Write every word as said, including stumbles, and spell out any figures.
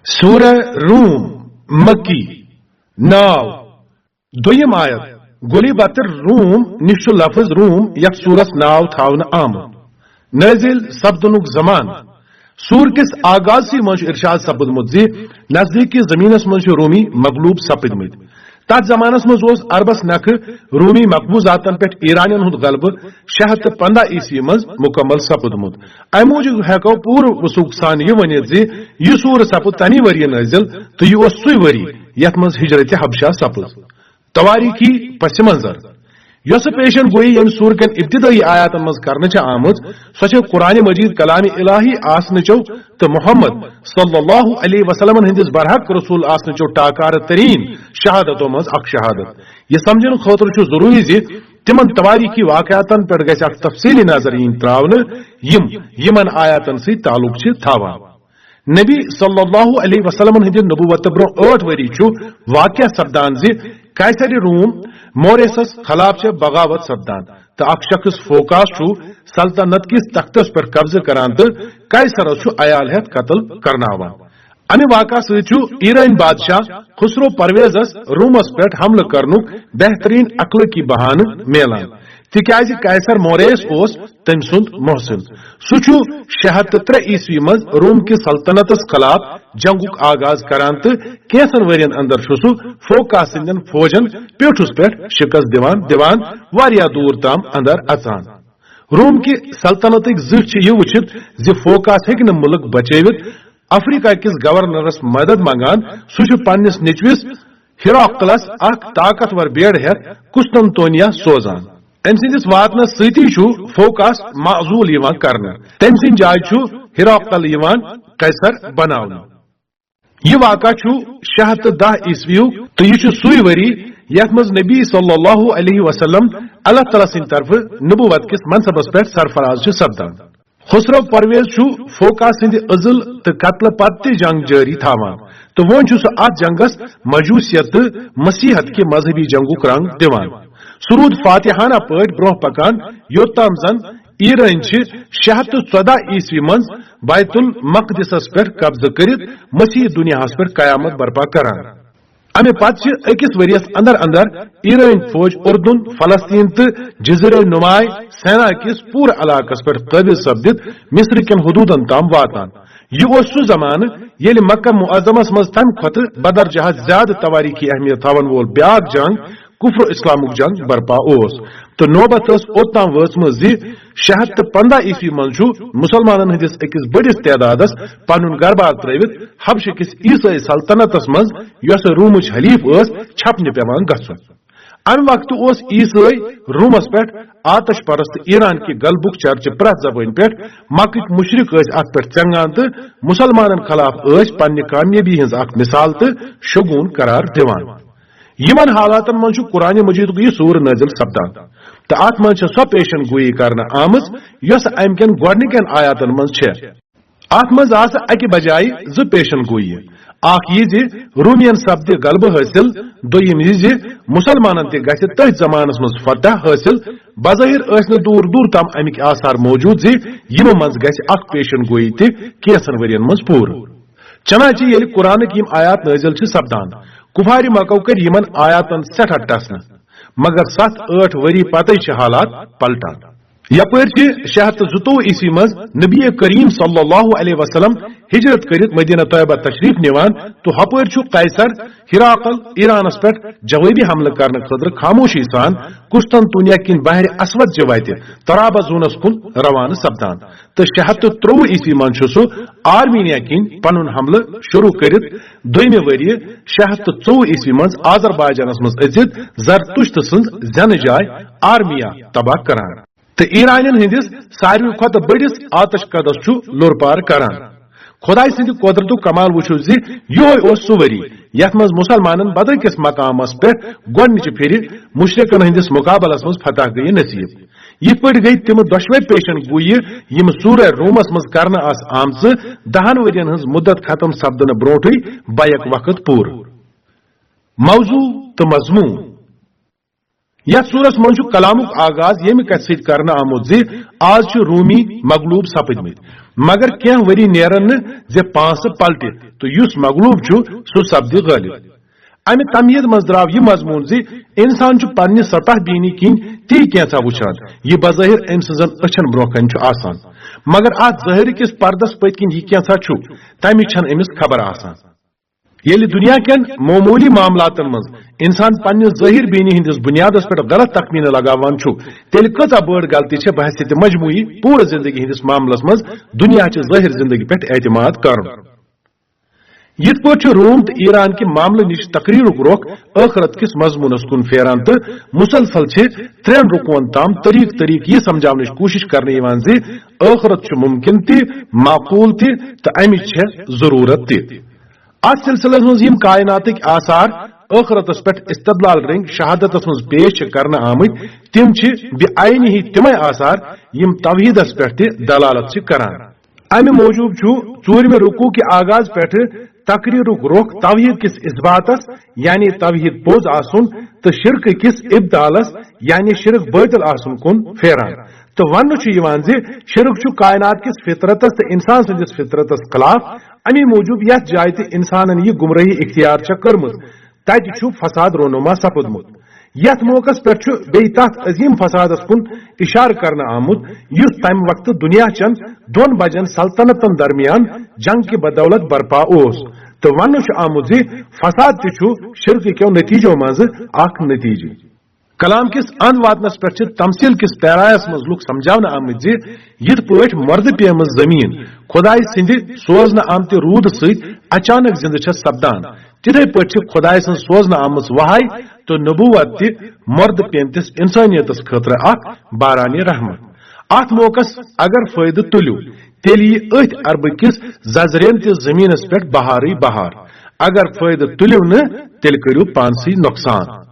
سورہ روم، مکی، ناو۔ دوٚیِم آیت، غلبت الروم نِش چھُ لفظ روم یتھ سورس ناو تھاونہٕ آمُت۔ نٲزِل سپدنُک زمانہٕ۔ سور کِس آغازسٕے منٛز چھُ ارشاد سپُدمُت زِ نزدیٖکی زٔمیٖنس منٛز چھِ رومی مغلوب سپٕدمٕتۍ۔ تتھ زمانس منٛز اوس عربس نکھٕ رومی مقبوضاتن پٮ۪ٹھ ایرانین ہُنٛد غلبہٕ شےٚ ہتھ تہٕ پنٛداہ عیسوی منٛز مکمل سپُدمُت۔ امہِ موٗجوٗب ہٮ۪کو پوٗرٕ وثوق سان یہِ ؤنِتھ زِ یہِ سوٗر سپُد تمی ؤریہِ نٲزِل تہٕ یہِ اوس سُے ؤری یتھ منٛز ہجرت حبشہ سپٕز۔ توٲریٖخی پس منظر۔ یۄسہٕ پیشن گویی ییٚمہِ سوٗرٕ کٮ۪ن ابتدٲیی آیاتن منٛز کرنہٕ چھےٚ آمٕژ، سۄ چھےٚ قرآن مجید کلام الہی آسنٕچو تہٕ محمد صلی اللہ علیہ وسلمن ہٕنٛدِس برحق رسول آسنٕچو ٹاکارٕ تریٖن شہادتو منٛز اکھ شہادت۔ یہِ سمجھنہٕ خٲطرٕ چھُ ضروٗری زِ تِمن توٲریٖخی واقعاتن پٮ۪ٹھ گژھِ اکھ تفصیٖلی نظر یِنۍ ترٛاونہٕ، یِم یِمن آیاتن سۭتۍ تعلق چھِ تھاوان۔ نبی صلی اللہ علیہ وسلمن ہٕنٛدِ نبوت برٛونٛہہ ٲٹھ ؤری چھُ واقعہ سپدان زِ قیصر روم موریسس خلاف چھےٚ بغاوت سپدان تہٕ اکھ شخص فوکاس چھُ سلطنت کِس تختس پٮ۪ٹھ قبضہٕ کران تہٕ قیصرس چھُ عیال ہٮ۪تھ قتل کرناوان۔ امہِ واقعہ سۭتۍ چھُ ایرٲنۍ بادشاہ خسرو پرویزس رومس پٮ۪ٹھ حملہٕ کرنُک بہترین اخلٲقی بہانہٕ میلان، تِکیازِ قیصر موریس اوس تٔمۍ سُنٛد محسن۔ سُہ چھُ شےٚ ہتھ تہٕ ترٛےٚ عیسوی منٛز روم کِس سلطنتس خلاف جنگُک آغاز کران تہٕ کینٛژن ؤرین اندر چھُ سُہ فوکاس سٕنٛدٮ۪ن فوجن پیوٚٹھُس پٮ۪ٹھ شکست دِوان دِوان واریاہ دوٗر تام اندر اژان۔ روم کہِ سلطنتٕکۍ زٕٹھۍ چھِ یہِ وٕچھِتھ زِ فوکاس ہیٚکہِ نہٕ مُلک بچٲوِتھ، افریقہ کِس گورنرس مدد منگان۔ سُہ چھُ پننِس نیٚچوِس ہیراکلس اکھ طاقتور بیڑ ہٮ۪تھ قسطنطنیہ سوزان۔ أمۍ سٕنٛدِس واتنس سۭتی چھُ فوکاس معزول یِوان کرنہٕ۔ تٔمۍ سٕنٛدِ جایہِ چھُ ہیراکل یِوان قیصر بناونہٕ۔ یہِ واقعہ چھُ شےٚ ہتھ تہٕ دَہ عیسویُک تہٕ یہِ چھُ سُے ؤری یتھ منٛز نبی صلی اللہ علیہ وسلم اللہ تعالیٰ سٕنٛدِ طرفہٕ نبوت کِس منصبس پٮ۪ٹھ سرفراز چھُ سپدان۔ خسرو پرویز چھُ فوکا سٕنٛدِ عزل تہٕ قتلہٕ پتہٕ تہِ جنگ جٲری تھاوان تہٕ وۄنۍ چھُ سُہ اتھ جنگس مجوسیت تہٕ مسیحت کہِ مذہبی جنگُک رنگ دِوان۔ سُہ روٗد فاتحانہ پٲٹھۍ برٛونٛہہ پکان، یوٚت تام زن ایرٲنۍ چھِ شےٚ ہتھ تہٕ ژۄداہ عیسوی منٛز بیت المقدسس پٮ۪ٹھ قبضہٕ کٔرِتھ مسیحی دُنیاہس پٮ۪ٹھ قیامت برپا کران۔ امہِ پتہٕ چھِ أکِس ؤرِیَس اندر اندر ایرٲنۍ فوج اردن، فلسطین تہٕ جزیرہ نماے سینا کِس پوٗرٕ علاقس پٮ۪ٹھ قٲبض سپدِتھ مصر کٮ۪ن حدوٗدن تام واتان۔ یہِ اوس سُہ زمانہٕ ییٚلہِ مکہ معظمس منٛز تمہِ کھۄتہٕ بدرجہ زیادٕ توٲریٖخی اہمیت تھاون وول بیاکھ جنگ کفر اسلامُک جنگ برپا اوس، تہٕ نوبت ٲس اوٚت تام وٲژمٕژ زِ شےٚ ہتھ تہٕ پنٛداہ عیسوی منٛز چھُ مسلمانن ہٕنٛدِس أکِس بٔڑِس تعدادس پنُن گربار ترٲوِتھ حبشہٕ کِس عیسٲئی سلطنتس منٛز، یۄسہٕ رومٕچ حلیف ٲس، چھپنہِ پٮ۪وان گژھُن۔ امہِ وقتہٕ اوس عیسٲئی رومس پٮ۪ٹھ آتش پرست ایران کہِ غلبُک چرچہٕ پرٛٮ۪تھ زبٲنۍ پٮ۪ٹھ۔ مکٕکۍ مشرک ٲسۍ اتھ پٮ۪ٹھ ژٮ۪نگان تہٕ مسلمانن خلاف ٲسۍ پننہِ کامیٲبی ہٕنٛز اکھ مثال تہٕ شگون قرار دِوان۔ یِمن حالاتن منٛز چھُ قرآن مجیدُک یہِ سورٕ نٲزِل سپدان، تہٕ اتھ منٛز چھےٚ سۄ پیشن گویی کرنہٕ آمٕژ یۄسہٕ امہِ کٮ۪ن گۄڈنِکٮ۪ن آیاتن منٛز چھےٚ۔ اتھ منٛز آسہٕ اکہِ بجایہِ زٕ پیشن گویی، اکھ یہِ زِ رومین سپدِ غلبہٕ حٲصِل، دوٚیِم یہِ زِ مسلمانن تہِ گژھِ تٔتھۍ زمانس منٛز فتح حٲصِل۔ بظٲہر ٲسۍ نہٕ دوٗر دوٗر تام امِکۍ آثار موجود زِ یِمو منٛز گژھِ اکھ پیشن گویی تہِ کینٛژن ؤرین منٛز پوٗرٕ۔ چنانچہ ییٚلہِ قرآنٕکۍ یِم آیات نٲزِل چھِ سپدان، کفارِ مکو کٔرۍ یِمن آیاتن سٮ۪ٹھاہ ٹسنہٕ، مگر ستھ ٲٹھ ؤری پتے چھِ حالات پلٹان۔ یپٲرۍ چھِ شےٚ ہتھ تہٕ زٕتووُہ عیسوی منٛز نبی کریم صلی اللہ علیہ وسلم ہجرت کٔرِتھ مدینہ طیبہ تشریف نِوان، تہٕ ہپٲرۍ چھُ قیصر ہراقل ایرانس پٮ۪ٹھ جوابی حملہٕ کرنہٕ خٲطرٕ خاموشی سان قسطنطنیہ کِنۍ بحر اسود چہِ وتہِ طرابزونس کُن روانہٕ سپدان۔ تہٕ شےٚ ہتھ تہٕ ترٛۆوُہ عیسوی منٛز چھُ سُہ آرمینیا کِنۍ پنُن حملہٕ شروع کٔرِتھ دوٚیمہِ ؤریہِ شےٚ ہتھ تہٕ ژوٚوُہ عیسوی منٛز آذربائیجانس منٛز أژِتھ زرتشت سٕنٛز زینہٕ جاے آرمیا تباہ کران تہٕ ایرانین ہٕنٛدِس ساروی کھۄتہٕ بٔڑِس آتش کدس چھُ لوٚر پار کران۔ خدایہِ سٕنٛدِ قۄدرتُک کمال وُچھِو زِ یِہوٚے اوس سُہ ؤری یتھ منٛز مسلمانن بدر کِس مقامس پٮ۪ٹھ گۄڈنِچہِ پھِرِ مشرکن ہٕنٛدِس مقابلس منٛز فتح گٔیہِ نصیب۔ یِتھ پٲٹھۍ گٔیہِ تِم دۄشوے پیشن گویہِ یِم سورہ رومس منٛز کرنہٕ آسہٕ آمژٕ دہن ؤرین ہٕنٛز مدت ختم سپدنہٕ برونٹھٕے بیک وقت پوٗرٕ۔ موضوع تہٕ مضمون۔ یتھ سورس منٛز چھُ کلامُک آغاز ییٚمہِ کتھِ سۭتۍ کرنہٕ آمُت زِ آز چھِ رومی مغلوب سپٕدمٕتۍ، مگر کینٛہہ ؤری نیرن نہٕ زِ پانٛسہٕ پلٹِتھ تہٕ یُس مغلوب چھُ، سُہ سپدِ غٲلب۔ امہِ تمہیٖد منٛز درٛاو یہِ مضموٗن زِ انسان چھُ پننہِ سطح بینی کِنۍ تی کینٛژھا وُچھان، یہِ بظٲہر أمۍ سٕنٛزن أچھن برٛونٛہہ کنہِ چھُ آسان، مگر اتھ ظٲہرٕ کِس پردس پٔتۍ کِنۍ یہِ کینٛژھا چھُ، تمِچ چھنہٕ أمِس خبر آسان۔ ییٚلہِ دُنیا کٮ۪ن معموٗلی معاملاتن منٛز انسان پننہِ ظٲہر بینی ہٕنٛدِس بُنیادس پٮ۪ٹھ غلط تخمینہٕ لگاوان چھُ، تیٚلہِ کۭژاہ بٔڑ غلطی چھےٚ بحیثیت مجموعی پوٗرٕ زندگی ہٕنٛدِس معاملس منٛز دُنیا چہِ ظٲہر زندگی پٮ۪ٹھ اعتماد کرُن؟ یِتھ پٲٹھۍ چھُ روم تہٕ ایران کہِ معاملہٕ نِش تقریرُک رۄخ ٲخرت کِس مضموٗنس کُن پھیران تہٕ مسلسل چھِ ترٛٮ۪ن رکوعن تام طریق طریق یہِ سمجھاونٕچ کوٗشش کرنہٕ یِوان زِ ٲخرت چھُ ممکن تہِ، معقول تہِ تہٕ امِچ چھےٚ ضروٗرت تہِ۔ اتھ سلسلس منٛز یِم کائناتٕکۍ آثار ٲخرتس پٮ۪ٹھ استدلال رٔنگۍ شہادتس منٛز پیش چھِ کرنہٕ آمٕتۍ، تِم چھِ بعینہِ تِمے آثار یِم توحیدس پٮ۪ٹھ تہِ دلالت چھِ کران۔ امہِ موٗجوٗب چھُ ژوٗرمہِ رکوع کہِ آغاز پٮ۪ٹھٕ تقریرُک رۄخ توحید کِس اثباتس، یعنی توحید پوٚز آسُن، تہٕ شرکہٕ کِس ابطالس، یعنی شرک باطل آسُن کُن پھیران۔ تہٕ وننہٕ چھُ یِوان زِ شرک چھُ کائنات کِس فطرتس تہٕ انسان سٕنٛدِس فطرتس خلاف، امی موٗجوٗب یتھ جایہِ تہِ انسانن یہِ گمراہی اختیار چھےٚ کٔرمٕژ، تتہِ چھُ فساد رونما سپُدمُت۔ یتھ موقعس پٮ۪ٹھ چھُ بیٚیہِ تتھ عظیم فسادس کُن اشارٕ کرنہٕ آمُت، یُس تمہِ وقتہٕ دُنیا چٮ۪ن دۄن بجن سلطنتن درمیان جنگ کہِ بدولت برپا اوس۔ تہٕ وننہٕ چھُ آمُت زِ فساد تہِ چھُ شرکہٕ کیو نتیجو منٛزٕ اکھ نتیجہٕ۔ کلام کِس اند واتنس پٮ۪ٹھ چھِ تمثیل کِس پیرایس منٛز لُکھ سمجھاونہٕ آمٕتۍ زِ یِتھ پٲٹھۍ مۄردٕ پیمٕژ زمین خدایہِ سٕنٛدِ سوزنہٕ آمتہِ روٗدٕ سۭتۍ اچانک زندٕ چھےٚ سپدان، تِتھے پٲٹھۍ چھِ خدایہِ سٕنٛز سوزنہٕ آمٕژ وحی تہٕ نبوت تہِ مۄردٕ پیمتِس انسانیتس خٲطرٕ اکھ بارانِ رحمت۔ اتھ موقعس اگر فٲیدٕ تُلِو، تیٚلہِ یی أتھۍ عربہٕ کِس ززرین تہِ زمینس پٮ۪ٹھ بہارٕے بہار۔ اگر فٲیدٕ تُلِو نہٕ، تیٚلہِ کٔرِو پانسٕے نۄقصان۔